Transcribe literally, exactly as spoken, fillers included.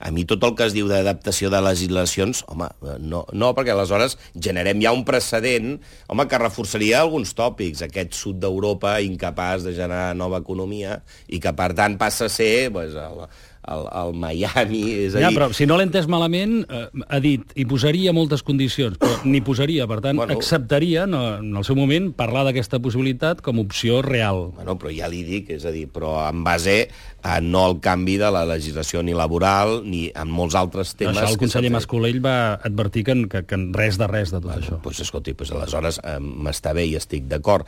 A mi tot el que es diu d'adaptació de legislacions, home, no, no, perquè aleshores generem ja un precedent, home, que reforçaria alguns tòpics, aquest sud d'Europa incapaç de generar nova economia i que, per tant, passa a ser pues, el, el, el Miami, és a dir... Ja, però si no l'he entès malament, eh, ha dit, hi posaria moltes condicions, però n'hi posaria, per tant, bueno, acceptaria, no, en el seu moment, parlar d'aquesta possibilitat com a opció real. Bueno, però ja li dic, és a dir, però en base a no al canvi de la legislació ni laboral ni en molts altres temes... Això el conseller Mas-Colell va advertir que, que, que res de res de tot bueno, això. Doncs, escolti, doncs, aleshores eh, m'està bé i estic d'acord.